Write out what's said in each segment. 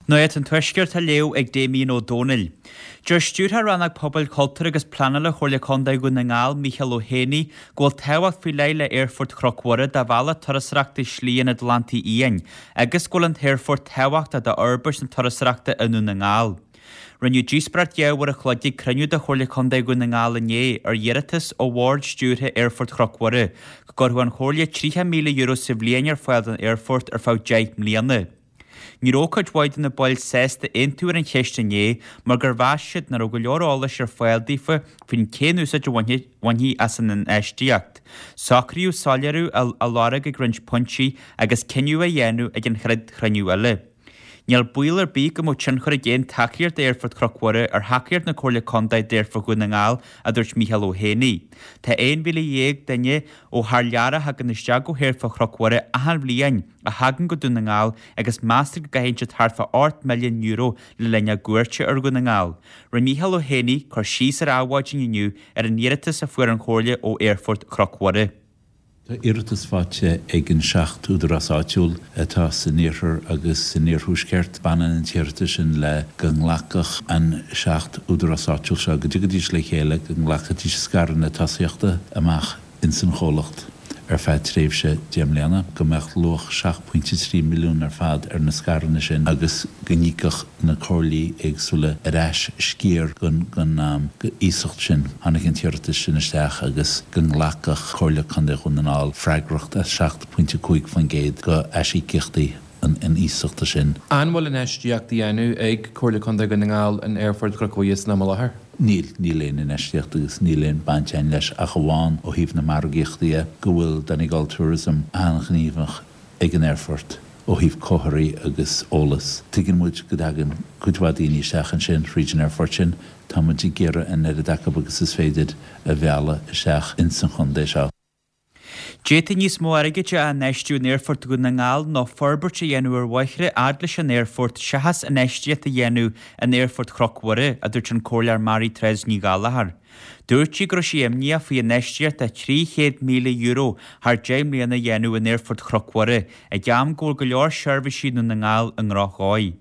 Nuacht an Tuaiscirt á léamh ag Damien Ó Dónaill. Deir Stiúrthóir Rannóg Pobail, Cultúir agus Pleanála Chomhairle Contae Dhún na nGall, Micheál Ó hÉanaí, go bhfuil tábhacht faoi leith le Aerfort Chnoc Mhuire do bhealach turasóireachta Shlí an Atlantaigh Fhiáin agus go bhfuil an t-aerfort tábhachtach d'fhorbairt na turasóireachta i nDún na nGall. Rinneadh díospóireacht 2 uair a chloig ag cruinniú de Chomhairle Contae Dhún na nGall inné ar iarratas ó Bhord Stiúrtha Aerfort Chnoc Mhuire go gcuirfeadh an Chomhairle €30,000 sa bhliain ar fáil don aerfort ar feadh 10 mbliana. Ní raibh cuid mhaith de na baill sásta aontú ar an cheist inné mar gur mheas siad nach raibh go leor eolais ar fáil daofa faoin cén úsáid a bhainfí as an infheistíocht. Socraíodh soiléiriú a lorg ag roinnt pointí agus cinneadh a dhéanamh ag an chéad chruinniú eile. Níl baol ar bith go mbeadh tionchar ag aon tacaíocht d'Aerfort Chnoc Mhuire ar thacaíocht na Comhairle Contae d'Aerfort Dhún na nGall, a dúirt Micheál Ó hÉanaí. Tá 11,000 duine ó thar lear a thagann isteach go hAerfort Chnoc Mhuire achan bhliain a thagann go Dún na nGall agus meastar go gcaitheann siad thart fá €8 milliún le linn a gcuairte ar Dhún na nGall. Rinne Micheál Ó hÉanaí cur síos ar Adhmhaidin inniu ar an iarratas a fuair an Chomhairle ó Aerfort Chnoc Mhuire. Tá iarratas faighte ag an 7 údarás áitiúil atá san iarthar agus san iarthuaisceart. Baineann an t-iarratas sin le go nglacfadh an 7 údarás áitiúil seo, go dtiocfaidís le chéile, go nglacfaidís scaireanna tosaíochta amach ins an chomhlacht ar feadh tréimhse 10 mbliana, go mbeadh luach 7.3 milliún ar fad ar na scaireanna sin agus go n-íocfadh na comhairlí éagsúla ar ais sciar den iasacht sin. Tháinig an t-iarratas sin isteach agus go nglacfadh Comhairle Contae Dhún na nGall freagracht as 7.5% de aisíocaíochtaí an iasachta sin. An bhfuil infheistíocht á dhéanamh ag Comhairle Contae Dhún na nGall in Aerfort Chnoc Mhuire san am i láthair? Níl. Níl aon infheistíocht agus níl aon baint againn leis ach amháin ó thaobh na margaíochta dhe, go bhfuil Donegal Tourism an-ghníomhach ag an aerfort ó thaobh comharthaí agus eolas. Tuigeann muid go dtagann cuid mhaith daoine isteach ansin thríd an aerfort sin. Tá muid ag iarraidh an oiread acu agus is féidir a mhealladh isteach ins an chontae seo. D'fhéadfaí níos mó airgid a infheistiú in Aerfort Dhún na nGall nó forbairt a dhéanamh ar bhóithre fhad leis an aerfort seachas infheistíocht a dhéanamh in Aerfort Chnoc Mhuire, a dúirt an Comhairleoir Mary Therese Ní Ghallchóir. Dúirt sí go raibh sí imníoch faoi infheistíocht de €300,000 thar 10 mbliana a dhéanamh in Aerfort Chnoc Mhuire ag am go bhfuil go leor seirbhísí i nDún na nGall i ndrochdhóigh.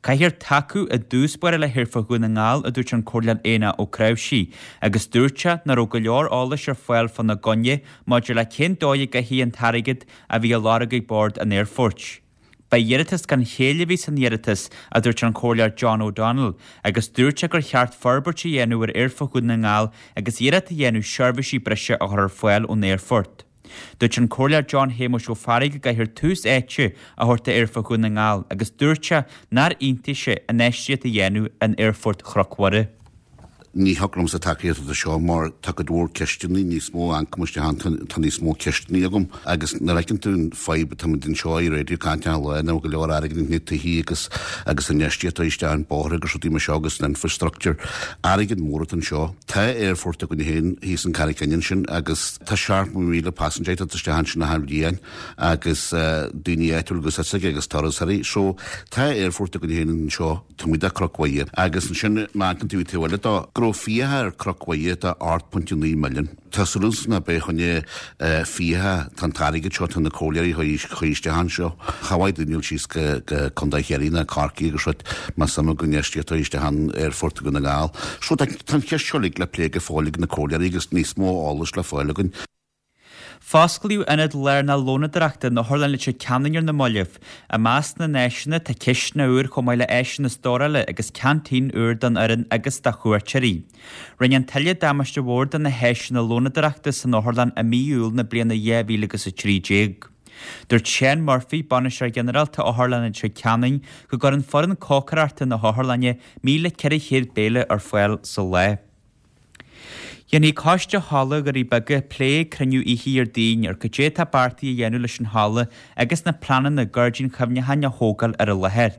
Caithfear tacú i dtús báire le hAerfort Dhún na nGall, a dúirt an Comhairleoir Éanna Ó Cnáimhsí, agus dúirt sé nach raibh go leor eolais ar fáil fána gcoinne maidir le cén dóigh a gcaithfí an t-airgead a bhí á lorg ag bord an aerfoirt. Ba iarratas gan chéill a bhí san iarratas, a dúirt an Comhairleoir John O'Donnell, agus dúirt sé gur cheart forbairt a dhéanamh ar Aerfort Dhún na nGall agus iarracht a dhéanamh seirbhísí breise a chur ar fáil ón aerfort. Dúirt an Comhairleoir John Shéamuis Ó Fearraigh go gcaithfear tús áite a thabhairt d'Aerfort Dhún na nGall agus dúirt sé nár aontaigh sé infheistíocht a dhéanamh in Aerfort Chnoc Mhuire. Ní thiocfadh liomsa tacaíocht do seo mar tá cuid mhór ceisteanna, níos mó ioncaim isteach ann, tá níos mó ceisteanna agam agus nuair a fheiceann tú an fadhb atá muid anseo i raidió caint achan lá nach bhfuil go leor airgid ins na tithe agus agus infheistíocht isteach in bóithre agus rudaí mar seo agus an infrastructure, airgead mór atá anseo. Tá aerfort againn féin thíos in Carraig Fhinn ansin agus tá 70,000 passenger ag teacht isteach ansin achan bhliain agus daoine áitiúil agus is agus turasóirí. So tá aerfort againn féin anseo taobh amuigh de Chnoc Mhuire agus ansin má amharcann tú an taobh eile dó go raibh fiacha ar Chnoc Mhuire de 8.9 milliún. Tá súil agamsa nach beidh choinne fiacha, tá an t-airgead seo, tá na comhairleoirí a chur isteach anseo. Cha mhaith daoine dul síos go Contae Chiarraí ná Corcaigh agus rud más suim go infheistíocht isteach in Aerfort Dhún na nGall. So tá an cheist seo uilig le plé go fóill ag na comhairleoirí agus níos mó eolais le fáil againn. Fosclaíodh ionad lárnach lónadóireachta in Otharlann Leitir Ceanainn ar na mallaibh. I measc na n-áiseanna tá cistineach úr chomh maith le áiseanna stórála agus ceaintín úr don fhoireann agus do chuairteoirí. Rinne an tuile damáiste mhór do na háiseanna lónadóireachta san otharlann i mí Iúil na bliana 2013. Dúirt Seán Murphy, Bainisteoir Ginearálta Otharlann Leitir Ceanainn, go gcuireann foireann cócaireachta na hotharlainne 1,400 béile ar fáil sa lá. Dhéanfaidh Coiste Halla Dhoirí Beaga plé ag cruinniú oíche Dhéardaoin ar cad é atá beartaithe a dhéanamh leis an halla agus na pleananna gairdín chuimhneacháin a thógáil ar an láthair.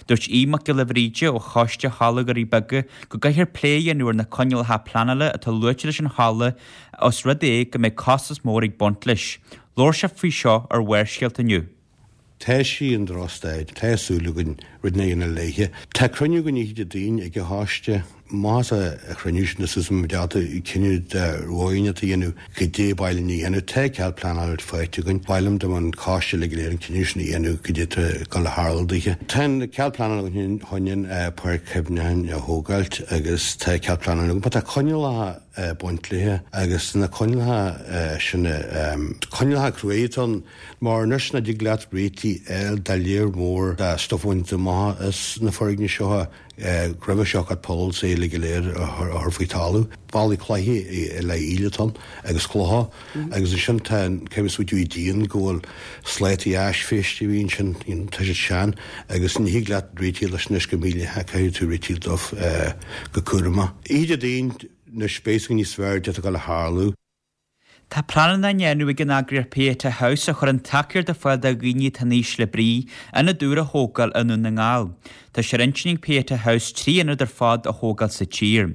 Dúirt Aodh Mac Giolla Bhríde ó Choiste Halla Dhoirí Beaga go gcaithfear plé a dhéanamh ar na coinníollacha pleanála atá luaite leis an halla os rud é go mbeidh costas mór ag baint leis. Labhair sé faoi seo ar Bharrscéalta inniu. Tá sí i ndrochstaid, tá súil againn rud a dhéanamh léithe. Tá cruinniú againn oíche Dé Daoin ag an choiste. Amach as an chruinniú sin tá súil agam go mbeidh muid ábalta cinneadh de rogha a dhéanamh goidé ba mhaith linn a dhéanamh. Tá cead pleanála faighte againn. Ba mhaith liom dá mbeadh an coiste uilig go léir an cinneadh sin a dhéanamh goidé atá ag dul a tharlú daoithe. Tá an cead pleanála againn chun an páirc chuimhneacháin a thógáilt agus tá cead pleanála againn. Tá coinníollacha ag baint léithe agus na coinníollacha sin coinníollacha cruaidh atá ann. Mar anois nach dtig leat réitigh a fháil do léar mór de stuif a bhaint amach as na foirgnimh seo roimhe seo got poles uilig go léir a chur faoi talamh. Ballaí cloiche i leith íle atá ann agus clocha agus ansin tá an caithfidh muid smaoitiú i díon go bhfuil slátaí aisbhéiste a bhí ansin, you know, tá siad sean agus ní thig leat réitigh leis anois go mílítheach, caithfidh tú réitigh dóibh go cúramach. Oíche Dé Daoin anois beidh a fhios againn níos fearr goidé atá ag dul a tharlú. Tá pleananna á ndéanamh ag an eagraíocht Pieta House, a chuireann tacaíocht ar fáil do dhaoine atá in ísle brí, ionad úr a thógáil i nDún na nGall. Tá sé ar intinn ag Pieta House 3 ionad ar fad a thógáil sa tír.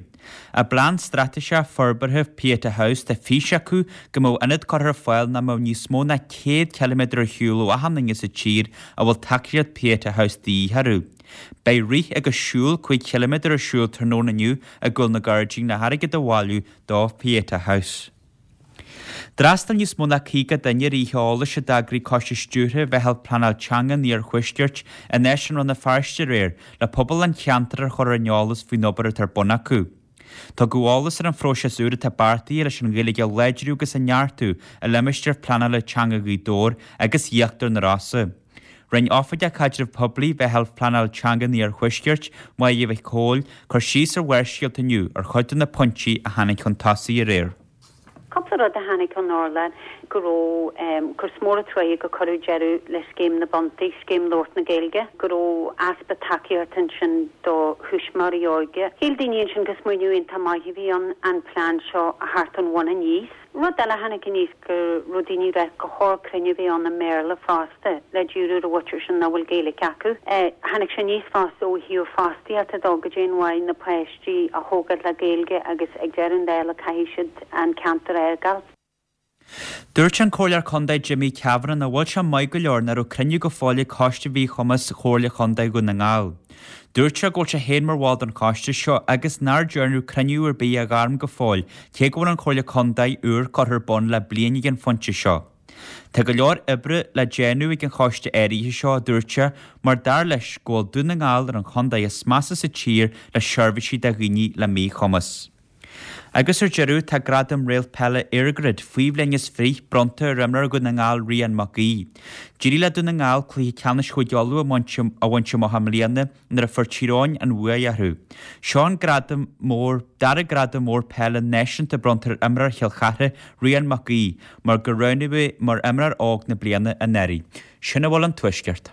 I bplean straitéiseach forbartha Pieta House tá fís acu go mbeadh ionad curtha ar fáil nach mbeadh níos mó ná 100 ciliméadar ar shiúl ó achan duine sa tír a bhfuil tacaíocht Pieta House de dhíth orthu. Beidh rith agus siúl 5 chiliméadar ar siúl tráthnóna inniu i gCúl na Gairdín le hairgead a bhailiú do Pieta House. D'fhreastail níos mó ná 50 duine ar oíche eolais a d'eagraigh Coiste Stiúrtha Mheitheal Pleanáil Teanga an Iarthuaiscirt in Áislann Rann na Feirste aréir le pobal an cheantair a chur ar an eolas faoin obair atá ar bun acu. Tugadh eolas ar an phróiseas úr atá beartaithe leis an Ghaeilge a láidriú agus a neartú i limistéar pleanála teanga Ghaoth Dobhair agus Íochtar na Rosa. Rinne Oifigeach Caidreamh Poiblí Mheitheal Pleanáil Teanga an Iarthuaiscirt, Máire Mhic Cóil, cur síos ar Bharrscéalta inniu ar chuid de na pointí a tháinig chun tosaigh aréir. Cúpla rud a tháinig chun urláir, go raibh, gur mór an truaighe gur cuireadh deireadh le Scéim na bPuntaí, Scéim Labhairt na Gaeilge, go raibh easpa tacaíochta ansin do thuismitheoirí óige. Shíl daoine ansin gur smaoineamh iontach maith a bhí ann an plean seo a theacht ón bhun aníos. Rud eile a tháinig aníos go raibh daoine ag rá gur chóir cruinniú a bheith ann i mBéarla fosta le díriú ar an mhuintir sin nach bhfuil Gaeilge acu. Tháinig sé aníos fosta ó thaobh fostaíochta dó, goidé an mhaith na páistí a thógáil le Gaeilge agus ag deireadh an dála caithfidh siad an ceantar a fhágáil. Dúirt an Comhairleoir Contae Jimmy Kavanagh nach bhfuil sé maith go leor nach raibh cruinniú go fóill ag Coiste Mhíchumais Chomhairle Chontae Dhún na nGall. Dúirt sé go bhfuil sé féin mar bhall den choiste seo agus nár dearnadh cruinniú ar bith a ghairm go fóill cé go bhfuil an Chomhairle Contae úr curtha ar bun le bliain ag an phointe seo. Tá go leor oibre le déanamh ag an choiste áirithe seo, a dúirt sé, mar dar leis go bhfuil Dún na nGall ar an chontae is measa sa tír le seirbhísí do dhaoine le míchumas. Agus ar deireadh, tá Gradam Réalt Peile EirGrid faoi bhliain is fiche bronnta ar imreoir Dhún na nGall Rian Mac Aoidh. D'éirigh le Dún na nGall cluiche ceannais Chúige Uladh a bhaint amach i mbliana nuair a fuair Tír Eoghain an bhuaidh orthu. Seo an gradam mór, dara gradam mór peile náisiúnta bronnta ar imreoir Chill Chartha, Rian Mac Aoidh, mar gur roghnaíodh é mar imreoir óg na bliana anuraidh. Sin a bhfuil ón Tuaisceart.